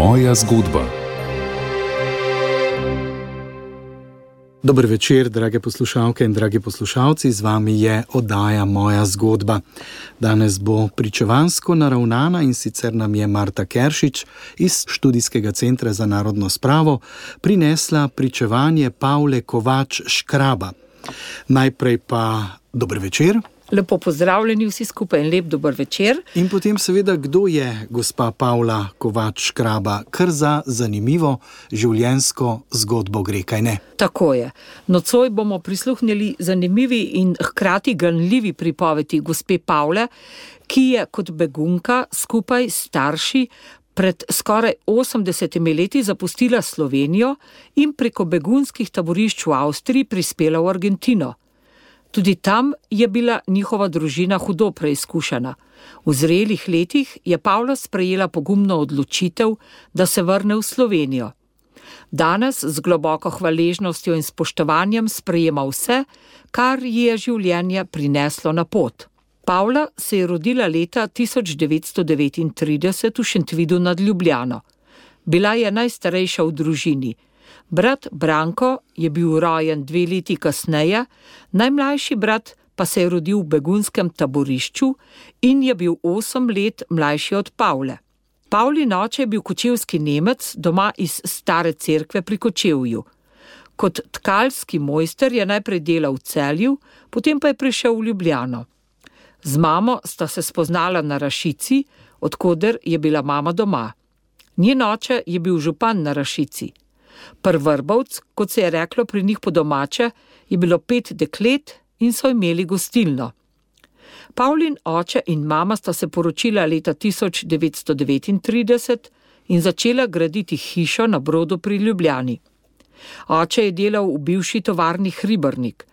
Moja zgodba. Dober večer, drage poslušalke in dragi poslušalci, z vami je oddaja Moja zgodba. Danes bo pričevansko naravnana in sicer nam je Marta Keršič iz Študijskega centra za narodno spravo prinesla pričevanje Pavle Kovač Škraba. Najprej pa dober večer. Lepo pozdravljeni vsi skupaj in lep dober večer. In potem seveda, kdo je gospa Pavla Kovač Škraba? Kar za zanimivo življenjsko zgodbo gre, kaj ne? Tako je. Nocoj bomo prisluhnili zanimivi in hkrati ganljivi pripovedi gospe Pavle, ki je kot begunka skupaj s starši pred skoraj 80 leti zapustila Slovenijo in preko begunskih taborišč v Avstriji prispela v Argentino. Tudi tam je bila njihova družina hudo preizkušena. V zrelih letih je Pavla sprejela pogumno odločitev, da se vrne v Slovenijo. Danes z globoko hvaležnostjo in spoštovanjem sprejema vse, kar ji je življenje prineslo na pot. Pavla se je rodila leta 1939 v Šentvidu nad Ljubljano. Bila je najstarejša v družini. Brat Branko je bil rojen 2 leti kasneje, najmlajši brat pa se je rodil v begunskem taborišču in je bil 8 let mlajši od Pavle. Pavlin oče je bil kočevski Nemec doma iz Stare cerkve pri Kočevju. Kot tkalski mojster je najprej delal v Celju, potem pa je prišel v Ljubljano. Z mamo sta se spoznala na Rašici, od koder je bila mama doma. Njen oče je bil župan na Rašici. Prvrbovc, kot se je reklo pri njih po domače, je bilo 5 deklet in so imeli gostilno. Pavlin oče in mama sta se poročila leta 1939 in začela graditi hišo na Brodu pri Ljubljani. Oče je delal v bivši tovarni Hribernik.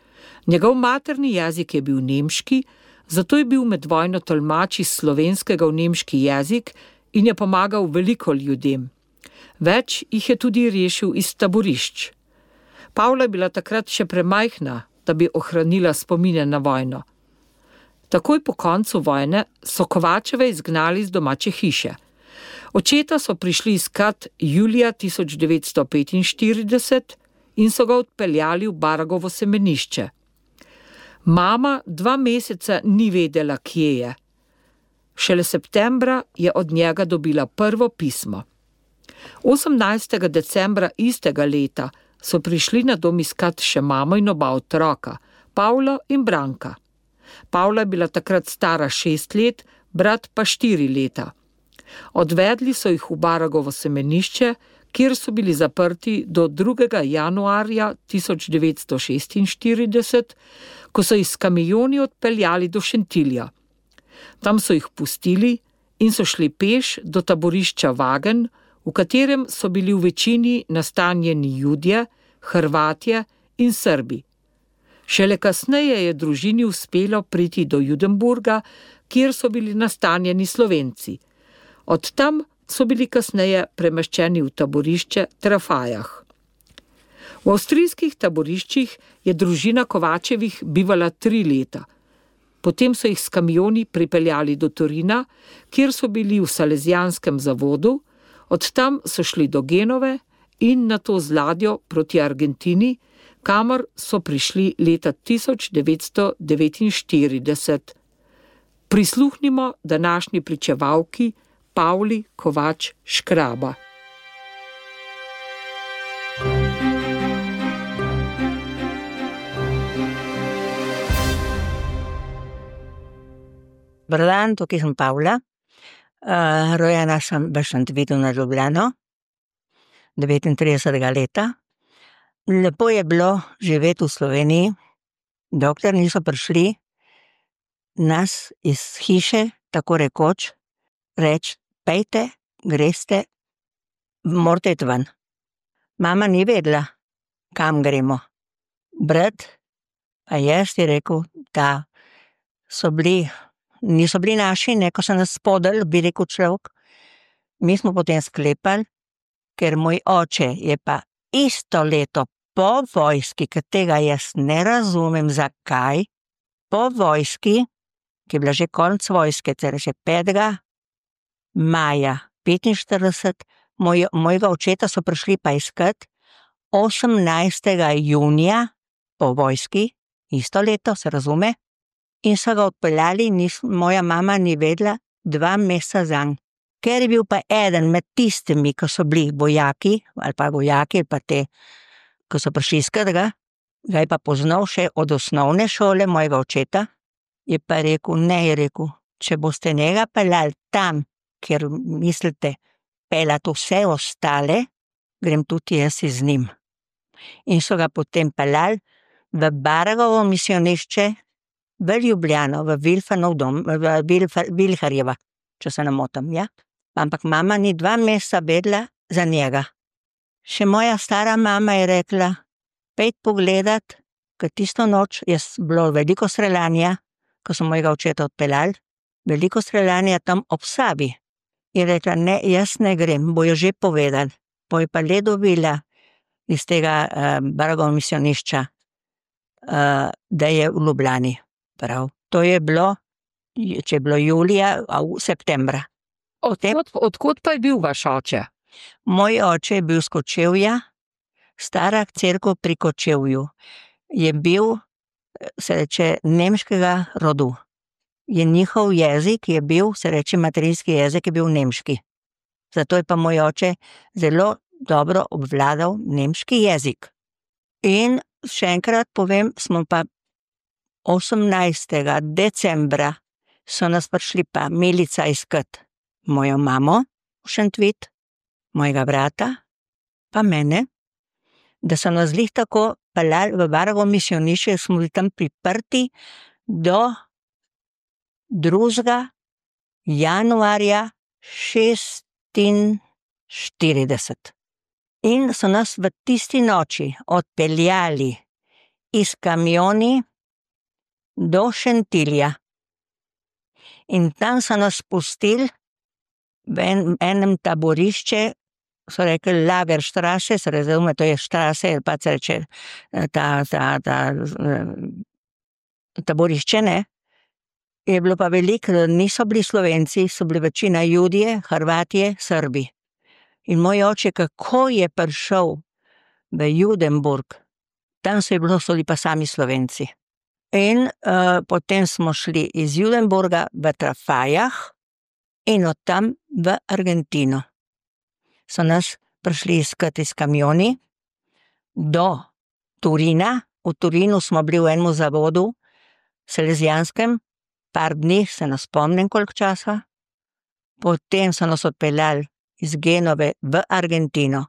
Njegov materni jezik je bil nemški, zato je bil med vojno tolmač iz slovenskega v nemški jezik in je pomagal veliko ljudem. Več jih je tudi rešil iz taborišč. Pavla je bila takrat še premajhna, da bi ohranila spomine na vojno. Takoj po koncu vojne so Kovačeve izgnali z domače hiše. Očeta so prišli iskat julija 1945 in so ga odpeljali v Baragovo semenišče. Mama 2 meseca ni vedela, kje je. Šele septembra je od njega dobila prvo pismo. 18. decembra istega leta so prišli na dom iskat še mamo in oba otroka, Pavlo in Branka. Pavla je bila takrat stara 6 let, brat pa 4 leta. Odvedli so jih v Baragovo semenišče, kjer so bili zaprti do 2. januarja 1946, ko so jih s kamioni odpeljali do Šentilja. Tam so jih pustili in so šli peš do taborišča Vagen, v katerem so bili v večini nastanjeni Judje, Hrvatje in Srbi. Šele kasneje je družini uspelo priti do Judenburga, kjer so bili nastanjeni Slovenci. Od tam so bili kasneje premeščeni v taborišče Trafajah. V avstrijskih taboriščih je družina Kovačevih bivala 3 leta. Potem so jih s kamioni pripeljali do Torina, kjer so bili v salezijanskem zavodu, od tam so šli do Genove in nato z ladjo proti Argentini, kamor so prišli leta 1949. Prisluhnimo današnji pričevalki Pavli Kovač Škraba. Dober dan, tukaj sem Pavla. Rojena sem v Šentvidu nad Ljubljano, 39. leta. Lepo je bilo živeti v Sloveniji, dokler niso prišli nas iz hiše, tako rekoč, reči, pejte, greste, morate iti ven. Mama ni vedela, kam gremo. Brat pa jaz je rekel, da niso bili naši, ko so nas spodali, bi rekel človek. Mi smo potem sklepali, ker moj oče je pa isto leto po vojski, ker tega jaz ne razumem, zakaj, po vojski, ki je bila že konec vojske, torej že 5. maja 45, Mojega očeta so prišli pa iskat 18. junija po vojski, isto leto, se razume, in so ga odpeljali, moja mama ni vedela 2 meseca zanj. Ker je bil pa eden med tistimi, ki so bili vojaki, ali pa te, ki so prišli iskat ga je pa poznal še od osnovne šole mojega očeta, je pa rekel, ne, je rekel, če boste njega peljali tam, kjer mislite peljati vse ostale, grem tudi jaz z njim. In so ga potem peljali v Baragovo misionišče, v Ljubljano, v Vilfanov dom, Vilharjeva, če se ne motim, ja. Ampak mama ni 2 meseca vedela za njega. Še moja stara mama je rekla, pejt pogledat, ker tisto noč je bilo veliko streljanja, ko so mojega očeta odpeljali, veliko streljanja tam ob Savi. Je rekla, ne, jaz ne grem, bojo že povedali. Po je pa le dobila iz tega Baragovega misionišča, da je v Ljubljani. Prav, to je bilo, če je bilo julija, septembra. Odkot pa je bil vaš oče? Moj oče je bil s Kočevja, stara cerkev pri Kočevju. Je bil, se reče, nemškega rodu. Je njihov jezik je bil, se reče, materinski jezik je bil nemški. Zato je pa moj oče zelo dobro obvladal nemški jezik. In še enkrat povem, smo pa 18. decembra so nas prišli pa milica iskat mojo mamo v Šentvid, mojega brata, pa mene, da so nas glih tako peljali v Baragovo misionišče, smo bili tam priprti do 2. januarja 1946. In so nas v tisti noči odpeljali iz kamioni do Šentilja. In tam so nas spustili v enem taborišče, so rekli Lagerstraße, se razume, to je štrase, pa se reče taborišče, ne. Je bilo pa veliko, niso bili Slovenci, so bili večina Judje, Hrvatje, Srbi. In moj oče, kako je prišel v Judenburg, tam so bili pa sami Slovenci. In potem smo šli iz Judenburga v Trafajah in od tam v Argentino. So nas prišli iskat iz kamioni do Turina. V Turinu smo bili v enem zavodu, salezijanskem, par dni, se ne spomnim koliko časa. Potem so nas odpeljali iz Genove v Argentino.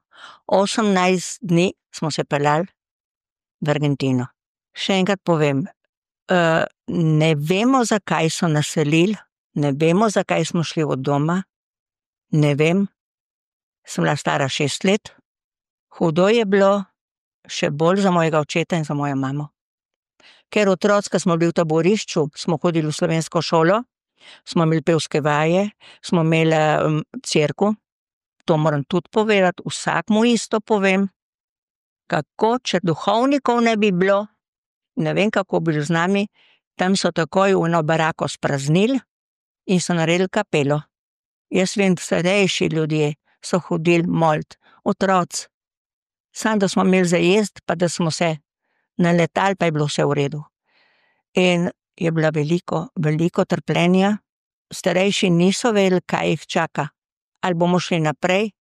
18 dni smo se peljali v Argentino. Še enkrat povem, ne vemo, zakaj so nas selili, ne vemo, zakaj smo šli od doma, ne vem, sem bila stara 6 let, hudo je bilo, še bolj za mojega očeta in za mojo mamo. Ker otroci, ko smo bili v taborišču, smo hodili v slovensko šolo, smo imeli pevske vaje, smo imeli cerkev, to moram tudi povedati, vsakmu isto povem, kako, če duhovnikov ne bi bilo, ne vem, kako bi z nami, tam so takoj v eno barako spraznili in so naredili kapelo. Jaz vem, starejši ljudje so hodili molit, otroci. Samo da smo imeli za jesti, pa da smo se naletali, pa je bilo vse v redu. In je bila veliko trpljenja, starejši niso vedeli, kaj jih čaka. Ali bomo šli naprej,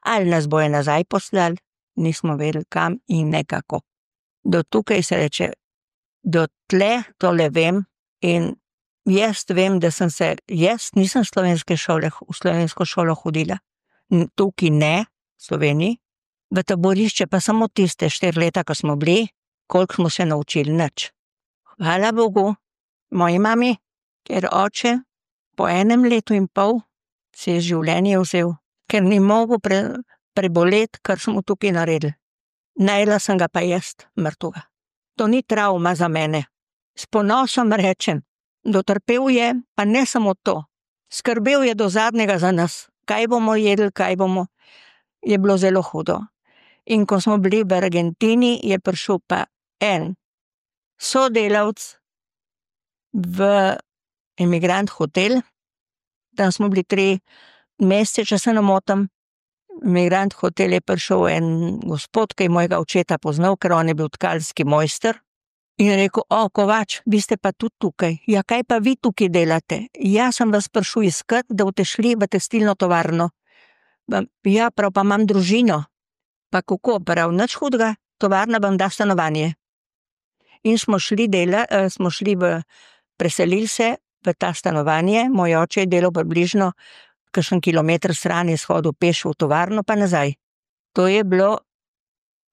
ali nas bojo nazaj poslali, nismo vedeli kam in nekako. Do tukaj se reče, do tle tole vem in jaz vem, da jaz nisem v slovensko šolo hodila, tukaj ne, v Sloveniji, v taborišče pa samo tiste 4 leta, ko smo bili, koliko smo se naučili, nič. Hvala Bogu, moji mami, ker oče po 1 letu in pol se je življenje vzel, ker ni mogel preboleti, kar smo tukaj naredili. Najela sem ga pa jaz, mrtvega. To ni travma za mene. S ponosom rečem, dotrpel je, pa ne samo to. Skrbel je do zadnjega za nas. Kaj bomo jedli, je bilo zelo hudo. In ko smo bili v Argentini, je prišel pa en sodelavc v emigrant hotel, tam smo bili 3 mesece, če se ne motim, Migrant hotel je prišel en gospod, ki je mojega očeta poznal, ker on je bil tkalski mojster. In je rekel, Kovač, vi ste pa tudi tukaj. Ja, kaj pa vi tukaj delate? Ja, sem vas prišel iskat, da boste šli v tekstilno tovarno. Ja, prav, pa imam družino. Pa kako, prav, nič hudega, tovarna vam da stanovanje. In smo šli preselili se v ta stanovanje, moj oče je delal približno kakšen kilometer stran, je shodil peš v tovarno pa nazaj. To je bilo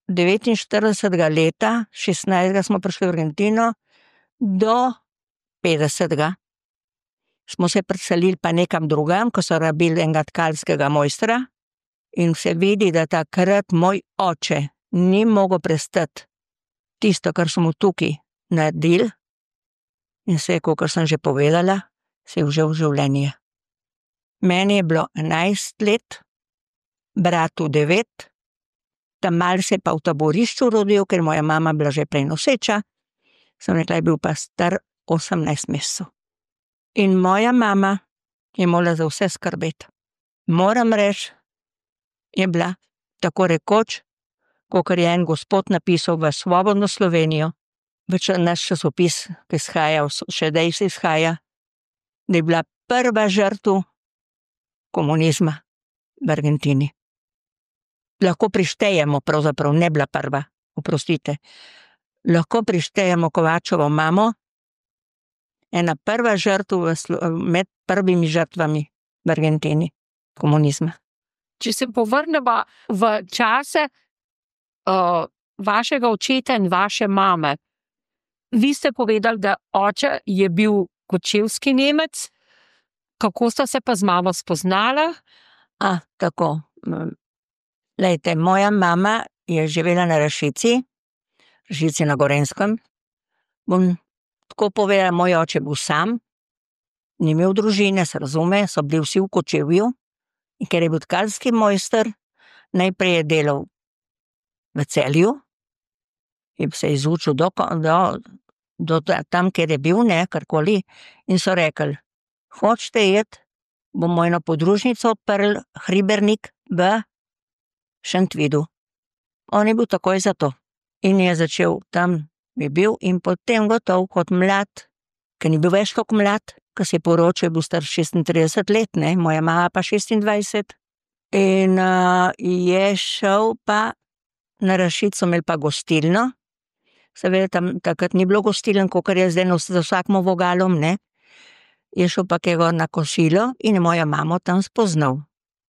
49. leta, 16. smo prišli v Argentino, do 50. Smo se preselili pa nekam drugam, ko so rabili enega tkalskega mojstra in se vidi, da takrat moj oče ni mogel prestati tisto, kar smo tukaj naredili in se je, kakor sem že povedala, se je vžel v življenje. Meni je bilo 11 let, bratu 9, tam mal se pa v taborišču rodil, ker moja mama bila že prej noseča, sem rekla, je bil pa star 18 mesecev. In moja mama je morala za vse skrbeti. Moram reči, je bila tako rekoč, kakor je en gospod napisal v Svobodno Slovenijo, naš časopis, ki izhaja, še dej se izhaja, da je bila prva žrtev komunizma v Argentini. Lahko prištejemo, pravzaprav ne bila prva, oprostite, lahko prištejemo Kovačevo mamo, ena prva žrtev med prvimi žrtvami v Argentini komunizma. Če se povrnemo v čase vašega očeta in vaše mame, vi ste povedali, da oče je bil kočevski Nemec, kako sta se pa z mamo spoznala? Tako. Lejte, moja mama je živela na Rašici na Gorenjskem. Bom tako povedala, moj oče bil sam, ni imel družine, se razume, so bili vsi v Kočevju. In ker je bil tkalski mojster, najprej je delal v Celju, in se je izučil do tam, kjer je bil, karkoli, in so rekli, hočete iti, bomo eno podružnico odprli, Hribernik v Šentvidu. On je bil takoj za to. In je začel tam, je bil, in potem gotov kot mlad, ker ni bil več tako mlad, ko se je poročil, je bil star 36 let, moja mama pa 26. In je šel pa na Rašico, imel pa gostilno. Seveda tam takrat ni bilo gostiln, kakor je zdaj za vsakmo vogalom, Je šel pa kaj gor na kosilo in je moja mamo tam spoznal.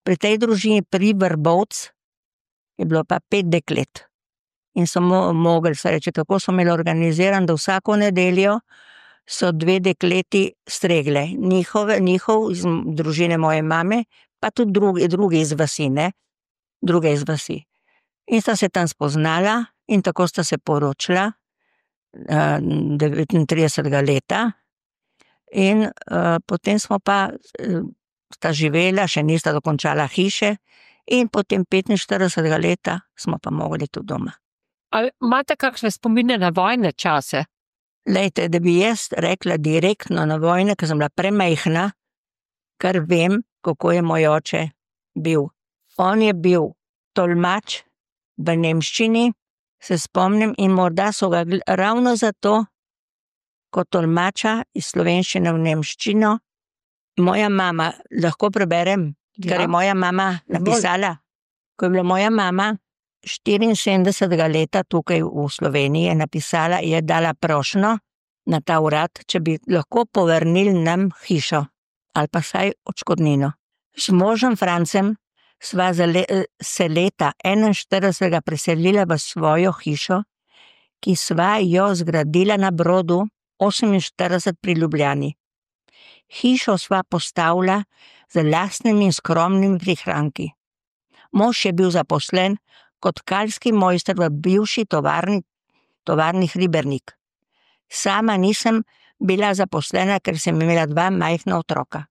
Pri tej družini pri Vrbovc je bilo pa 5 deklet. In so mogli, se reče, tako so imeli organiziran, da vsako nedeljo so 2 dekleti stregle. Njihov iz družine moje mame, pa tudi drugi iz vasi, druge iz vasi. In sta se tam spoznala in tako sta se poročila 39. leta. In potem smo pa sta živela, še nista dokončala hiše in potem 45. leta smo pa mogli tudi doma. Ali imate kakšne spomine na vojne čase? Lejte, da bi jaz rekla direktno na vojne, ker sem bila premajhna, kar vem, kako je moj oče bil. On je bil tolmač v nemščini, se spomnim, in morda so ga ravno zato, kot tolmača iz slovenščine v nemščino, moja mama, lahko preberem, kar je moja mama napisala. Ko je bila moja mama 74. leta tukaj v Sloveniji, je napisala, je dala prošnjo na ta urad, če bi lahko povrnili nam hišo ali pa saj odškodnino. S možem Francem sva se leta 41. preselila v svojo hišo, ki sva jo zgradila na Brodu 48 pri Ljubljani. Hišo sva postavila z lastnimi skromnimi prihranki. Mož je bil zaposlen kot tkalski mojster v bivši tovarni Hribernik. Sama nisem bila zaposlena, ker sem imela 2 majhna otroka.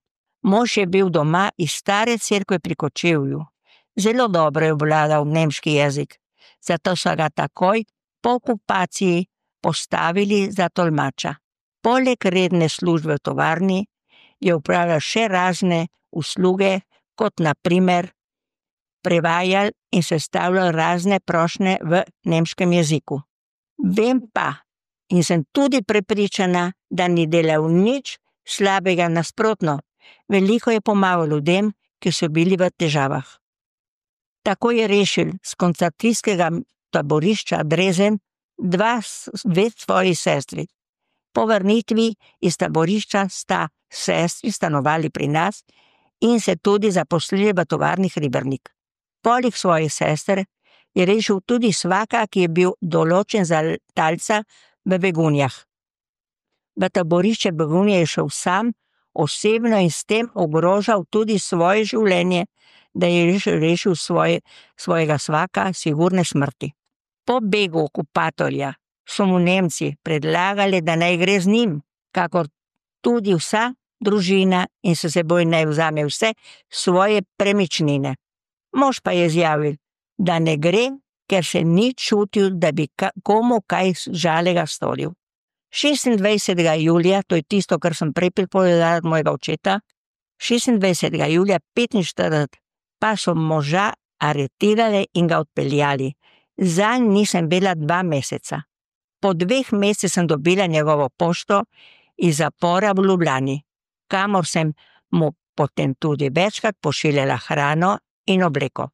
Mož je bil doma iz stare cerkve pri Kočevju. Zelo dobro je obvladal nemški jezik, zato so ga takoj po okupaciji postavili za tolmača. Poleg redne službe v tovarni je upravljal še razne usluge, kot na primer prevajali in sestavljali razne prošnje v nemškem jeziku. Vem pa in sem tudi prepričana, da ni delal nič slabega, nasprotno. Veliko je pomagal ljudem, ki so bili v težavah. Tako je rešil z koncentracijskega taborišča Drezen dve svoji sestri. Po vrnitvi iz taborišča sta sestri stanovali pri nas in se tudi zaposlili v tovarni Hribernik. Poleg svojih sester je rešil tudi svaka, ki je bil določen za talca v Begunjah. V taborišče Begunje je šel sam, osebno in s tem ogrožal tudi svoje življenje, da je rešil svojega svaka sigurne smrti. Po begu okupatorja so mu Nemci predlagali, da naj gre z njim, kakor tudi vsa družina in s seboj naj vzame vse svoje premičnine. Mož pa je izjavil, da ne gre, ker se ni čutil, da bi komu kaj žalega storil. 26. julija, to je tisto, kar sem prej pripovedala od mojega očeta, 26. julija 1945 pa so moža aretirali in ga odpeljali. Zanj nisem bila 2 meseca. Po 2 mesecih sem dobila njegovo pošto iz zapora v Ljubljani, kamor sem mu potem tudi večkrat pošiljala hrano in obleko.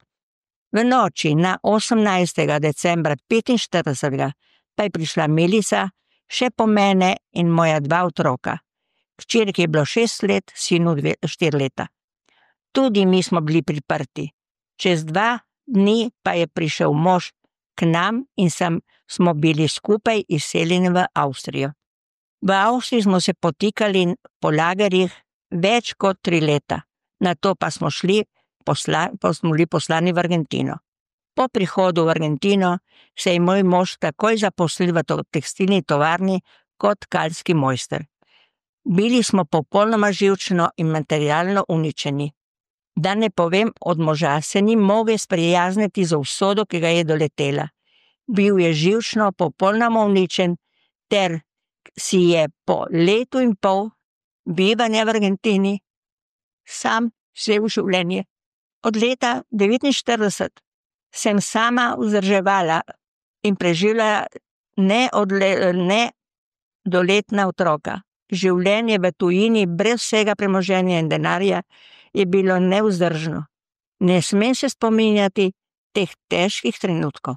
V noči na 18. decembra 1945 pa je prišla Milica, še po mene in moja 2 otroka. Hčerki je bilo 6 let, sinu 4 leta. Tudi mi smo bili priprti. Čez 2 dni pa je prišel mož k nam in smo bili skupaj izseljeni v Avstrijo. V Avstriji smo se potikali po lagerjih več kot 3 leta. Nato pa smo bili poslani v Argentino. Po prihodu v Argentino se je moj mož takoj zaposlil v tekstilni tovarni kot tkalski mojster. Bili smo popolnoma živčno in materialno uničeni. Da ne povem, od moža se ni mogel sprijazniti z usodo, ki ga je doletela. Bil je živčno popolnoma uničen ter si je po 1,5 leta bivanja v Argentini sam vzel življenje. Od leta 1949 sem sama vzdrževala in preživljala nedoletna otroka. Življenje v tujini brez vsega premoženja in denarja je bilo nevzdržno. Ne smem se spominjati teh težkih trenutkov.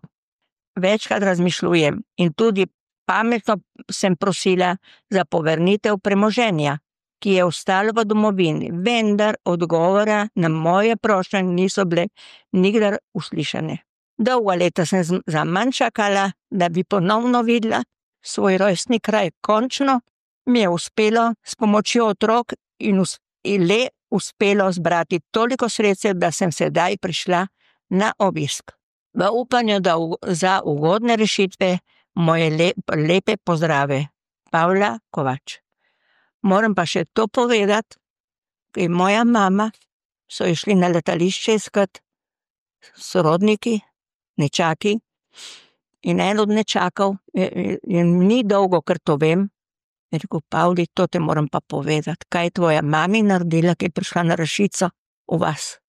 Večkrat razmišljujem in tudi pametno sem prosila za povrnitev premoženja, ki je ostalo v domovini, vendar odgovora na moje prošnje niso bile nikdar uslišane. Dolga leta sem zaman čakala, da bi ponovno videla svoj rojstni kraj. Končno mi je uspelo s pomočjo otrok in le uspelo zbrati toliko sredstev, da sem sedaj prišla na obisk. V upanju za ugodne rešitve moje lepe pozdrave. Pavla Kovač. Moram pa še to povedati, ker moja mama so išli na letališče iskat sorodniki, nečaki, in en od nečakov, ni dolgo, ker to vem, je rekel: Pavli, to te moram pa povedati, kaj je tvoja mami naredila, ki je prišla na Rašico v vas.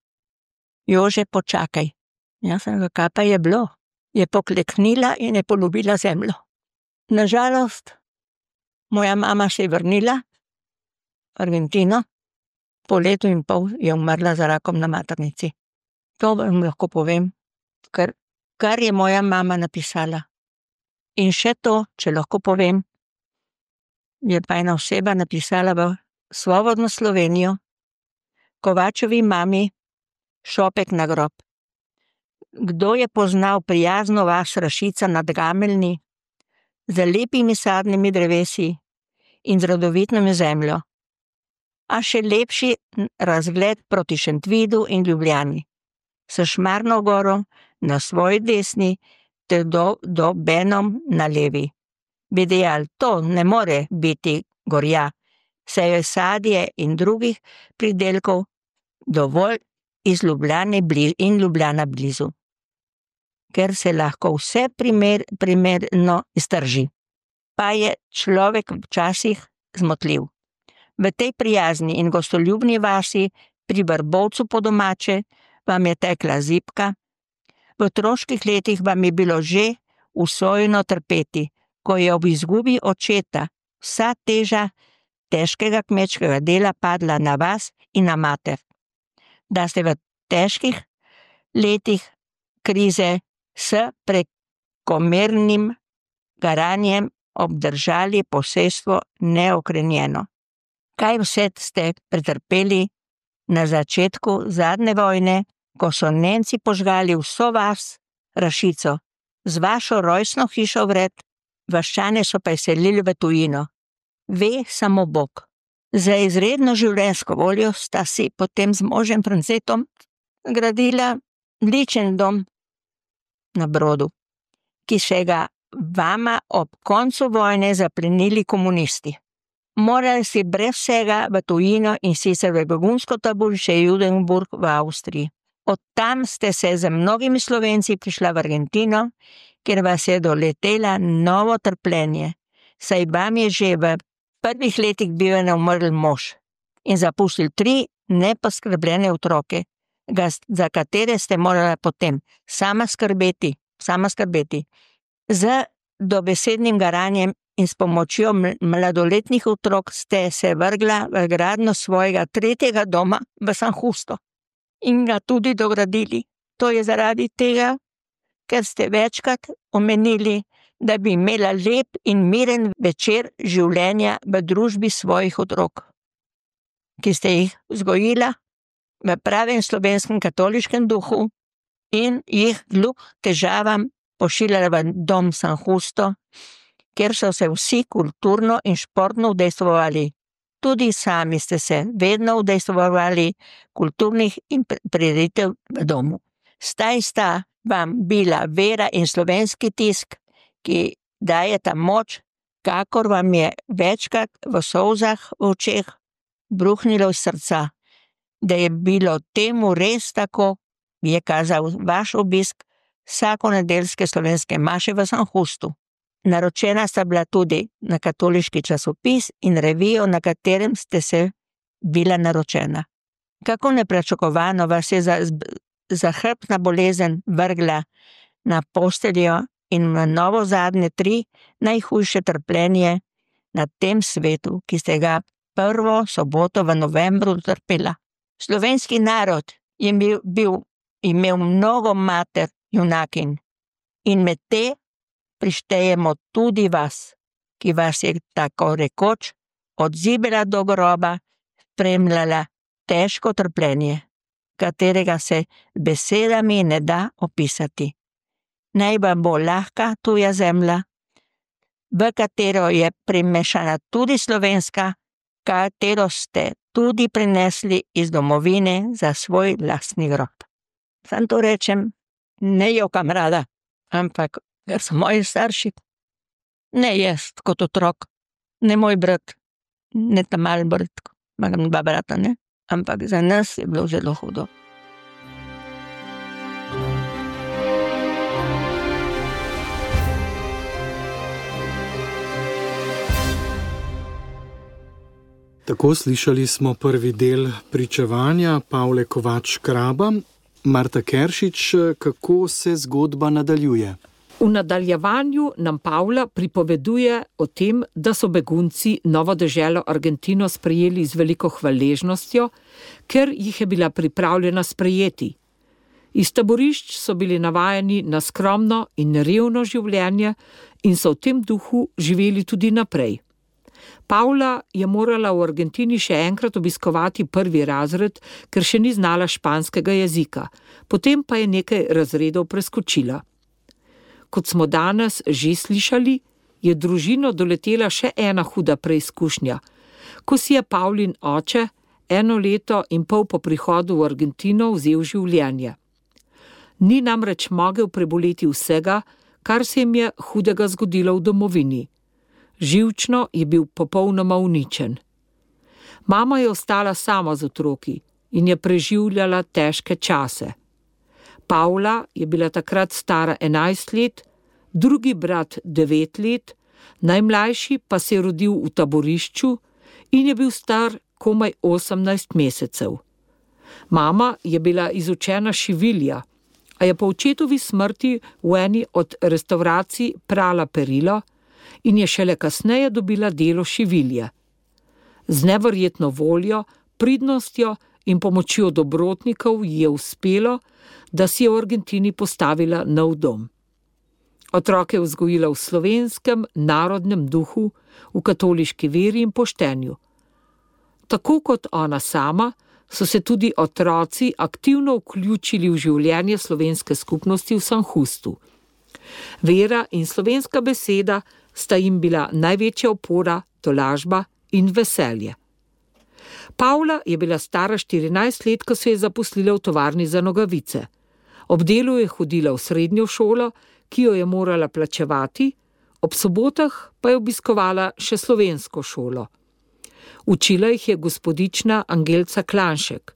Jože, počakaj. Jaz sem ga, kaj pa je bilo? Je pokleknila in je poljubila zemljo. Nažalost, moja mama se je vrnila v Argentino, po 1,5 leta je umrla za rakom na maternici. To vam lahko povem, kar je moja mama napisala. In še to, če lahko povem, je pa ena oseba napisala v Svobodno Slovenijo, Kovačevi mami, šopek na grob. Kdo je poznal prijazno vas Rašica nad Gameljni, z lepimi sadnimi drevesi in z rodovitno zemljo, a še lepši razgled proti Šentvidu in Ljubljani, s Šmarno goro na svoji desni ter do Benom na levi. Bi dejal, to ne more biti gorja, saj je sadje in drugih pridelkov dovolj iz Ljubljane in Ljubljana blizu, ker se lahko vse primerno iztrži. Pa je človek včasih zmotljiv. V tej prijazni in gostoljubni vasi pri Vrbovcu po domače, vam je tekla zibka, v otroških letih vam je bilo že usojeno trpeti, ko je ob izgubi očeta vsa teža težkega kmečkega dela padla na vas in na mater. Da ste v težkih letih krize s prekomernim garanjem obdržali posestvo neokrenjeno. Kaj vse ste pretrpeli na začetku zadnje vojne, ko so Nemci požgali vso vas, Rašico, z vašo rojstno hišo vred, vaščane so pa selili v tujino. Ve samo Bog. Za izredno življenjsko voljo sta si potem z možem Francetom gradila ličen dom na Brodu, ki še ga vama ob koncu vojne zaplenili komunisti. Morali si brez vsega v tujino in sicer v begunsko taborišče Judenburg v Avstriji. Od tam ste se z mnogimi Slovenci prišla v Argentino, kjer vas je doletela novo trpljenje, saj vam je že v prvih letih bivanja umrl mož in zapustil 3 neposkrbljene otroke, za katere ste morala potem sama skrbeti. Z dobesednim garanjem in s pomočjo mladoletnih otrok ste se vrgla v gradnjo svojega 3. doma v San Justo in ga tudi dogradili. To je zaradi tega, ker ste večkrat omenili, da bi imela lep in miren večer življenja v družbi svojih otrok, ki ste jih vzgojila v pravem slovenskem katoliškem duhu in jih kljub težavam pošiljala v dom San Justo, kjer so se vsi kulturno in športno udejstvovali. Tudi sami ste se vedno udejstvovali kulturnih in prireditev v domu. Staj sta vam bila vera in slovenski tisk, ki dajeta moč, kakor vam je večkrat v solzah v očeh bruhnilo iz srca. Da je bilo temu res tako, je kazal vaš obisk vsakonedeljske slovenske maše v San Justu. Naročena sta bila tudi na katoliški časopis in revijo, na katerem ste se bila naročena. Kako nepričakovano vas je zahrbtna bolezen vrgla na posteljo in na novo zadnje 3 najhujše trpljenje na tem svetu, ki ste ga prvo soboto v novembru trpela. Slovenski narod je imel mnogo mater junakinj in med te prištejemo tudi vas, ki vas je tako rekoč od zibela do groba spremljala težko trpljenje, katerega se besedami ne da opisati. Naj vam bo lahka tuja zemlja, v katero je primešana tudi slovenska, katero ste tudi prinesli iz domovine za svoj lastni grob. Sam to rečem, ne jokam rada, ampak ker so moji starši, ne jaz kot otrok, ne moj brat, ne ta mal brat, imam 2 brata, ne, ampak za nas je bilo zelo hudo. Tako slišali smo prvi del pričevanja Pavle Kovač-Kraba. Marta Keršič, kako se zgodba nadaljuje? V nadaljevanju nam Pavla pripoveduje o tem, da so begunci novo deželo Argentino sprejeli z veliko hvaležnostjo, ker jih je bila pripravljena sprejeti. Iz taborišč so bili navajeni na skromno in revno življenje in so v tem duhu živeli tudi naprej. Pavla je morala v Argentini še enkrat obiskovati 1. razred, ker še ni znala španskega jezika, potem pa je nekaj razredov preskočila. Kot smo danes že slišali, je družino doletela še ena huda preizkušnja, ko si je Pavlin oče 1 leto in pol po prihodu v Argentino vzel življenje. Ni namreč mogel preboleti vsega, kar se jim je hudega zgodilo v domovini. Živčno je bil popolnoma uničen. Mama je ostala sama z otroki in je preživljala težke čase. Pavla je bila takrat stara 11 let, drugi brat 9 let, najmlajši pa se je rodil v taborišču in je bil star komaj 18 mesecev. Mama je bila izučena šivilja, a je po očetovi smrti v eni od restavracij prala perilo in je šele kasneje dobila delo šivilje. Z neverjetno voljo, pridnostjo in pomočjo dobrotnikov ji je uspelo, da si je v Argentini postavila nov dom. Otroke je vzgojila v slovenskem narodnem duhu, v katoliški veri in poštenju. Tako kot ona sama, so se tudi otroci aktivno vključili v življenje slovenske skupnosti v Sanhustu. Vera in slovenska beseda sta jim bila največja opora, tolažba in veselje. Pavla je bila stara 14 let, ko se je zaposlila v tovarni za nogavice. Ob delu je hodila v srednjo šolo, ki jo je morala plačevati, ob sobotah pa je obiskovala še slovensko šolo. Učila jih je gospodična Angelca Klanšek.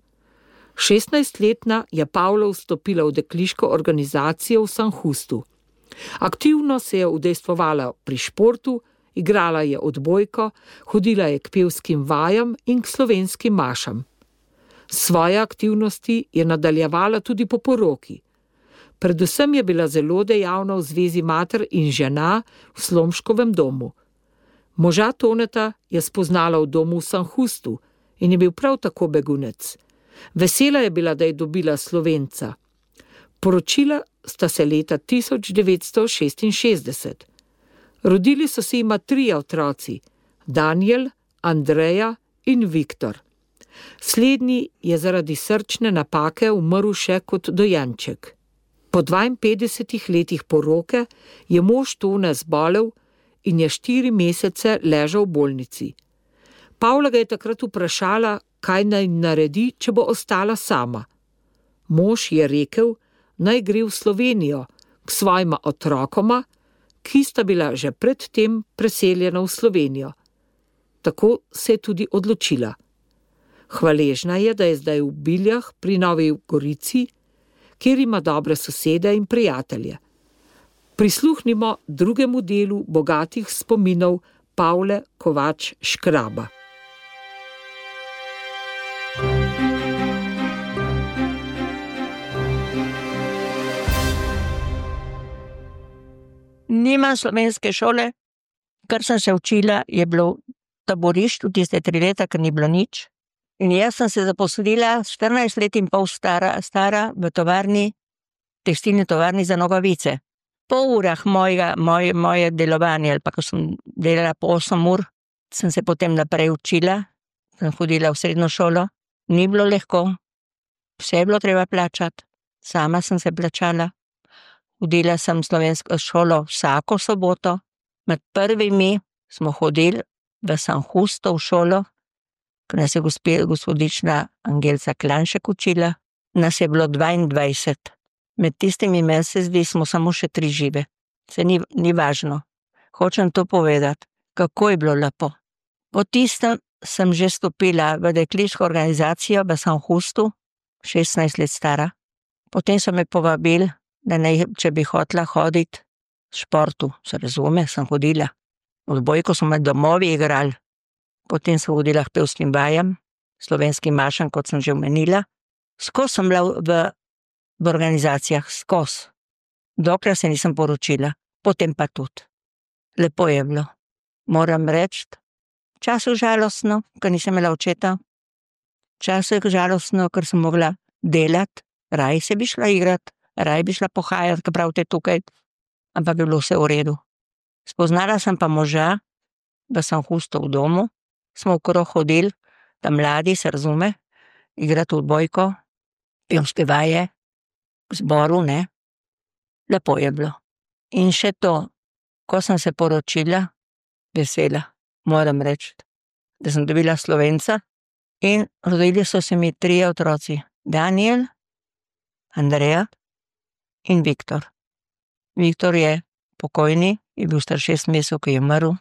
16-letna je Pavla vstopila v dekliško organizacijo v Sanhustu. Aktivno se je udejstvovala pri športu, igrala je odbojko, hodila je k pevskim vajam in k slovenskim mašam. Svoje aktivnosti je nadaljevala tudi po poroki. Predvsem je bila zelo dejavna v zvezi mater in žena v Slomškovem domu. Moža Toneta je spoznala v domu v Sanhustu in je bil prav tako begunec. Vesela je bila, da je dobila Slovenca. Poročila sta se leta 1966. Rodili so se jima 3 otroci, Daniel, Andreja in Viktor. Slednji je zaradi srčne napake umrl še kot dojenček. Po 52 letih poroke je mož Tone zbolel in je 4 mesece ležal v bolnici. Pavla ga je takrat vprašala, kaj naj naredi, če bo ostala sama. Mož je rekel, naj gre v Slovenijo k svojima otrokoma, ki sta bila že predtem preseljena v Slovenijo. Tako se je tudi odločila. Hvaležna je, da je zdaj v Biljah pri Novi Gorici, kjer ima dobre sosede in prijatelje. Prisluhnimo drugemu delu bogatih spominov Pavle Kovač Škraba. Nimam slovenske šole, kar sem se učila, je bilo taborišč v tiste 3 leta, ker ni bilo nič. In jaz sem se zaposlila 14 let in pol stara v tovarni, tekstilni tovarni za nogavice. Po urah moje delovanje, ali pa ko sem delala po 8 ur, sem se potem naprej učila, sem hodila v srednjo šolo. Ni bilo lahko, vse je bilo treba plačati, sama sem se plačala. Hodila sem v slovensko šolo vsako soboto. Med prvimi smo hodili v Sanhusto v šolo, ko nas je gospodična Angelca Klanšek učila. Nas je bilo 22. Med tistimi meseci smo samo še 3 žive. Se ni važno. Hočem to povedati, kako je bilo lepo. Po tistem sem že stopila v dekliško organizacijo v Sanhustu, 16 let stara. Potem so me povabili, da če bi hotela hoditi v športu, se razume, sem hodila. Odbojko smo med domovi igrali. Potem sem hodila k pevskim vajam, slovenskim mašam, kot sem že omenila. Skozi sem bila v organizacijah, skozi. Dokler se nisem poročila, potem pa tudi. Lepo je bilo. Moram reči, časov žalostno, ker nisem imela očeta. Časov je žalostno, ker sem mogla delati, raj se bi šla igrati, raj bi šla pohajati, ker pravite tukaj, ampak je bilo vse v redu. Spoznala sem pa moža v Sanhustu v domu, smo okrog hodili, da mladi, se razume, igrati odbojko, pevske vaje, v zboru, ne. Lepo je bilo. In še to, ko sem se poročila, vesela, moram reči, da sem dobila Slovenca in rodili so se mi 3 otroci. Daniel, Andreja in Viktor. Viktor je pokojni, je bil star 6 mesecev, ko je umrl,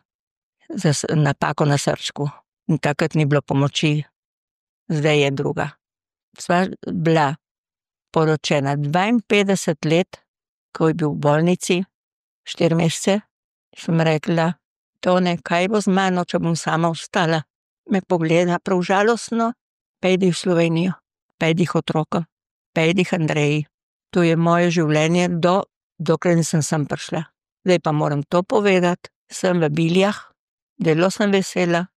za napako na srčku. In takrat ni bilo pomoči, zdaj je druga. Sva bila poročena 52 let, ko je bil v bolnici, 4 mesece, sem rekla, Tone, kaj bo z mano, če bom sama ostala? Me pogleda prav žalostno, pejdi v Slovenijo. 5 otrokov, 5 Andreji. To je moje življenje, dokler nisem sem prišla. Zdaj pa moram to povedati, sem v Biljah, zelo sem vesela,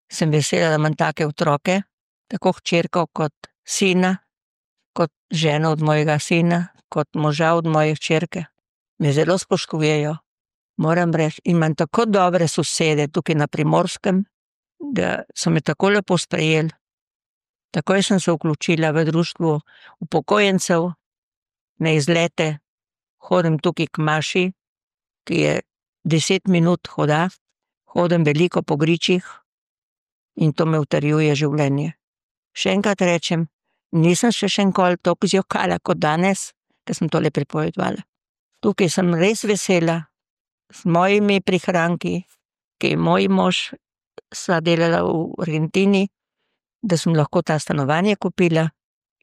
da imam take otroke, tako hčerko kot sina, kot ženo od mojega sina, kot moža od moje hčerke. Me zelo spoštujejo, moram reči, in imam tako dobre sosede tukaj na Primorskem, da so me tako lepo sprejeli. Takoj sem se vključila v društvo upokojencev, na izlete, hodim tukaj k Maši, ki je 10 minut hoda, hodim veliko po gričih in to me utrjuje življenje. Še enkrat rečem, nisem še enkoli toliko zjokala kot danes, ker sem tole pripovedovala. Tukaj sem res vesela, s mojimi prihranki, ki je moj mož sva delala v Argentini, da sem lahko ta stanovanje kupila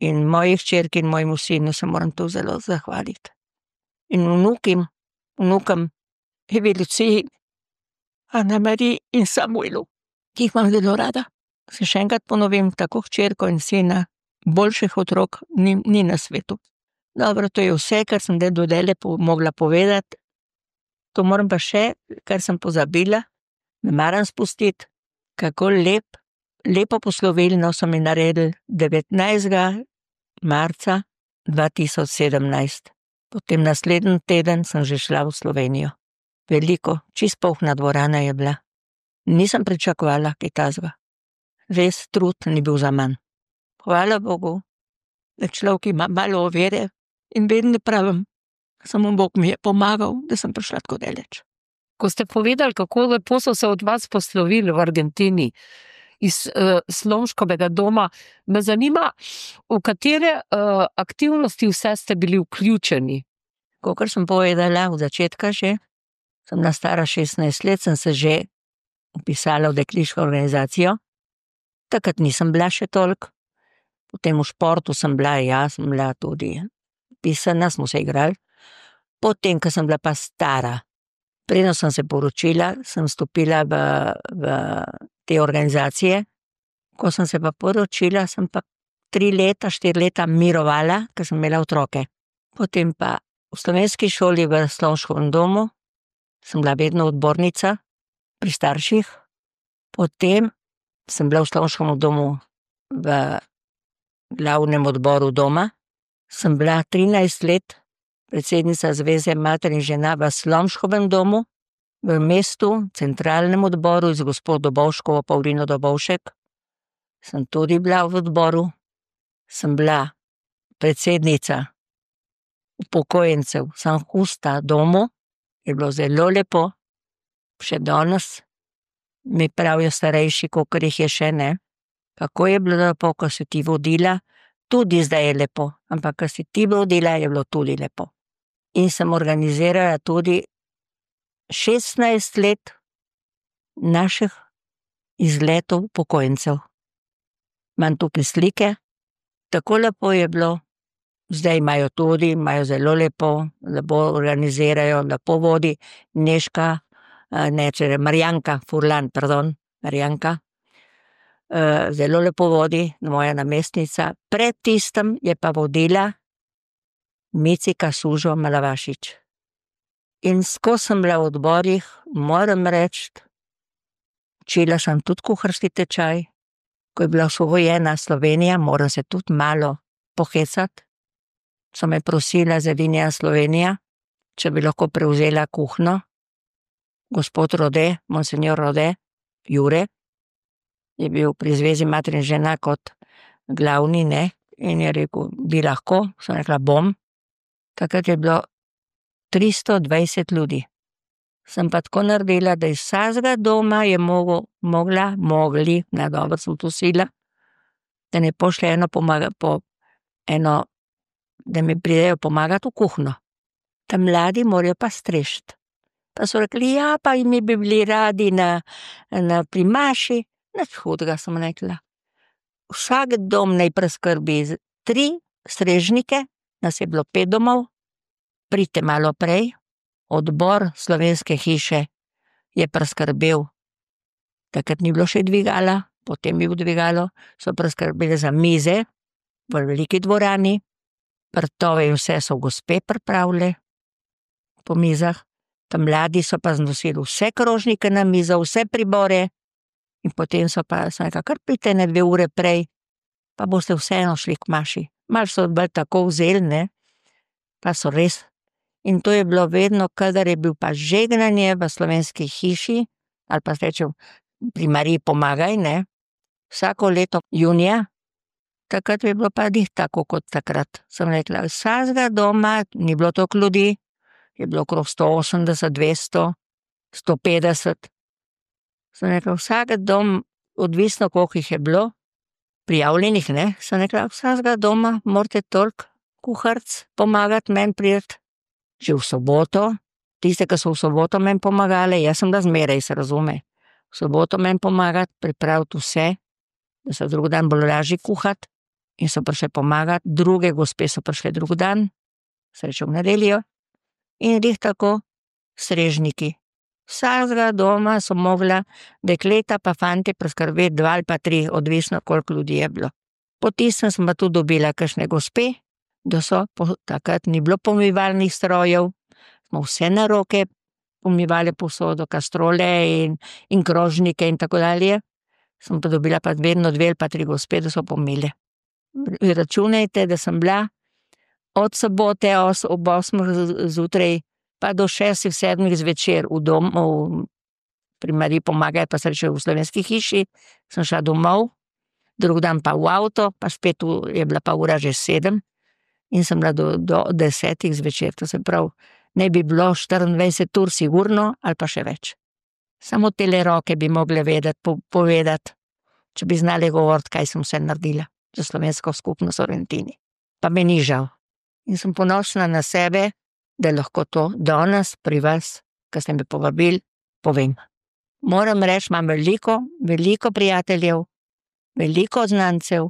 in moji hčerki in mojemu sinu se moram tu zelo zahvaliti. In vnukom Evi Luciji, Ana Mariji in Samuelu, ki jih imam zelo rada. Se še enkrat ponovim, tako hčerko in sina, boljših otrok ni na svetu. Dobro, to je vse, kar sem do dele mogla povedati. To moram pa še, kar sem pozabila, ne maram spustiti, kako lepo poslovilno so mi naredili 19. marca 2017. Potem naslednji teden sem že šla v Slovenijo. Veliko, čist polna dvorana je bila. Nisem pričakovala kaj takega. Res trud ni bil za manj. Hvala Bogu, da človek ima malo vere in vedno pravim, samo Bog mi je pomagal, da sem prišla tako daleč. Ko ste povedali, kako lepo so se od vas poslovili v Argentini, iz Slomškovega doma, me zanima, v katere aktivnosti vse ste bili vključeni? Kakor sem povedala v začetka že, sem na stara 16 let, sem se že upisala v dekliško organizacijo. Takrat nisem bila še toliko. Potem v športu sem bila tudi pisana, smo se igrali. Potem, ko sem bila pa stara, preden sem se poročila, sem stopila v te organizacije. Ko sem se pa poročila, sem pa 4 leta mirovala, ker sem imela otroke. Potem pa v slovenski šoli v Slomškovem domu sem bila vedno odbornica pri starših. Potem sem bila v Slomškovem domu v glavnem odboru doma. Sem bila 13 let predsednica Zveze mater in žena v Slomškovem domu, v mestu, centralnem odboru z gospod Dobovškovo, Pavlino Dobovšek. Sem tudi bila v odboru. Sem bila predsednica upokojencev San Justa domu. Je bilo zelo lepo. Še danes mi pravijo starejši, kolikor jih je še ne. Kako je bilo lepo, ko si ti vodila, tudi zdaj je lepo, ampak ko si ti vodila, je bilo tudi lepo. In sem organizirala tudi 16 let naših izletov upokojencev. Imam tukaj slike, tako lepo je bilo, zdaj imajo zelo lepo organizirajo, lepo vodi Marjanka Furlan, Marjanka. Zelo lepo vodi, moja namestnica. Pred tistem je pa vodila Micika Sužo Malavašič. In skozi sem bila v odborih, moram reči, učila sem tudi kuharski tečaj. Ko je bila osvobojena Slovenija, moram se tudi malo pohecati. So me prosila za Vinja Slovenija, če bi lahko prevzela kuhno. Gospod Rode, monsignor Rode, Jure, je bil pri Zvezi mater in žena kot glavni, ne, in je rekel, bi lahko, sem rekla, bom. Takrat je bilo 320 ljudi. Sem pa tako naredila, da iz vsakega doma je mogli, na dobro sem to sila, da ne pošlje da mi pridejo pomagati v kuhno. Ta mladi morajo pa strešiti. Pa so rekli, ja, pa mi bi bili radi pri Maši. Nič hudega, sem rekla. Vsak dom naj preskrbi 3 strežnike, nas je bilo 5 domov, pridite malo prej, odbor Slovenske hiše je preskrbel, takrat ni bilo še dvigala, potem je bil dvigalo, so preskrbeli za mize, v veliki dvorani, vrtove in vse so gospe pripravile po mizah, tam mladi so pa znosili vse krožnike na mizo, vse pribore in potem so pa rekla, kar pridite ne 2 ure prej, pa boste vseeno šli k maši. Malo so bolj tako vzeli, ne, pa so res. In to je bilo vedno, kadar je bil pa žegnanje v Slovenski hiši, ali pa rečem, pri Mariji pomagaj, ne, vsako leto junija, takrat je bilo pa njih tako kot takrat. Sem rekla, vsakega doma, ni bilo toliko ljudi, je bilo okrog 180, 200, 150. Sem rekla, vsak dom, odvisno koliko jih je bilo, prijavljenih, ne, sem rekla, vsakega doma morate toliko kuharic pomagati meni priti, že v soboto, tiste, ki so v soboto meni pomagale, jaz sem da zmeraj, se razume, v soboto meni pomagati, pripraviti vse, da so drug dan bolj lažje kuhati in so prišle pomagati, druge gospe so prišle drug dan, srečo v nedeljo in glih tako strežniki. Vsakega doma so mogla dekleta pa fantje preskrbeti 2 ali pa 3, odvisno koliko ljudi je bilo. Po tistem sem pa tudi dobila kakšne gospe, da so, takrat ni bilo pomivalnih strojev, smo vse na roke pomivali posodo, kastrole in krožnike in tako dalje. Sem pa dobila pa vedno 2 ali pa 3 gospe, da so pomile. Računajte, da sem bila od sobote ob 8 zjutraj pa do 6, 7 zvečer v domu, pri Mariji pomagaj, pa sreče v Slovenski hiši, sem šla domov, drug dan pa v avto, pa spet je bila pa ura že 7 in sem bila do 10 zvečer, to se pravi, ne bi bilo 24 ur sigurno ali pa še več. Samo tele roke bi mogle vedeti, povedati, če bi znali govoriti, kaj sem vse naredila za slovensko skupnost v Argentini. Pa me ni žal. In sem ponosna na sebe, da lahko to danes pri vas, ko ste me povabili, povem. Moram reči, imam veliko prijateljev, veliko znancev,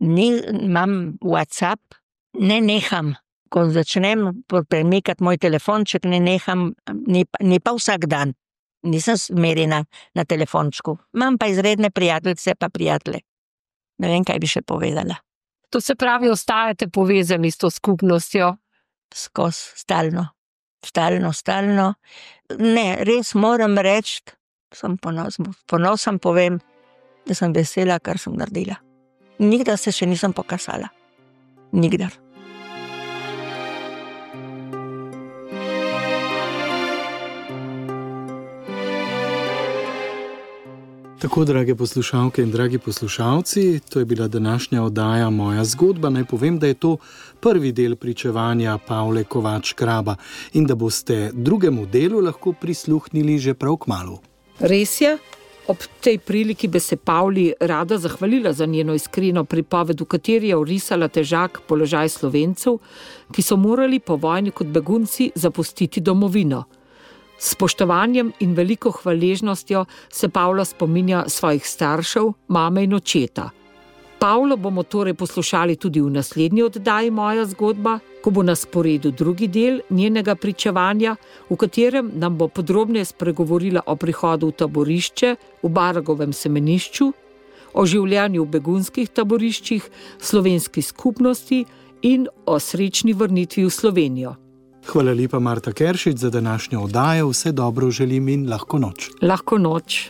imam WhatsApp, ne neham, ko začnem premikati moj telefonček, ne neham, ni pa vsak dan. Nisem smerjena na telefončku. Imam pa izredne prijateljice pa prijatelje. Ne vem, kaj bi še povedala. To se pravi, ostajate povezani s to skupnostjo? Skozi, stalno. Ne, res moram reči, sem ponosen povem, da sem vesela, kar sem naredila. Nikdar se še nisem pokasala. Nikdar. Tako, drage poslušalke in dragi poslušalci, to je bila današnja oddaja Moja zgodba. Naj povem, da je to prvi del pričevanja Pavle Kovač Kraba in da boste drugemu delu lahko prisluhnili že prav kmalu. Res je, ob tej priliki bi se Pavli rada zahvalila za njeno iskreno pripoved, v kateri je orisala težak položaj Slovencev, ki so morali po vojni kot begunci zapustiti domovino. S spoštovanjem in veliko hvaležnostjo se Pavla spominja svojih staršev, mame in očeta. Pavlo bomo torej poslušali tudi v naslednji oddaji Moja zgodba, ko bo na sporedu drugi del njenega pričevanja, v katerem nam bo podrobneje spregovorila o prihodu v taborišče v Baragovem semenišču, o življenju v begunskih taboriščih, slovenski skupnosti in o srečni vrnitvi v Slovenijo. Hvala lepa, Marta Keršič, za današnjo oddajo. Vse dobro želim in lahko noč. Lahko noč.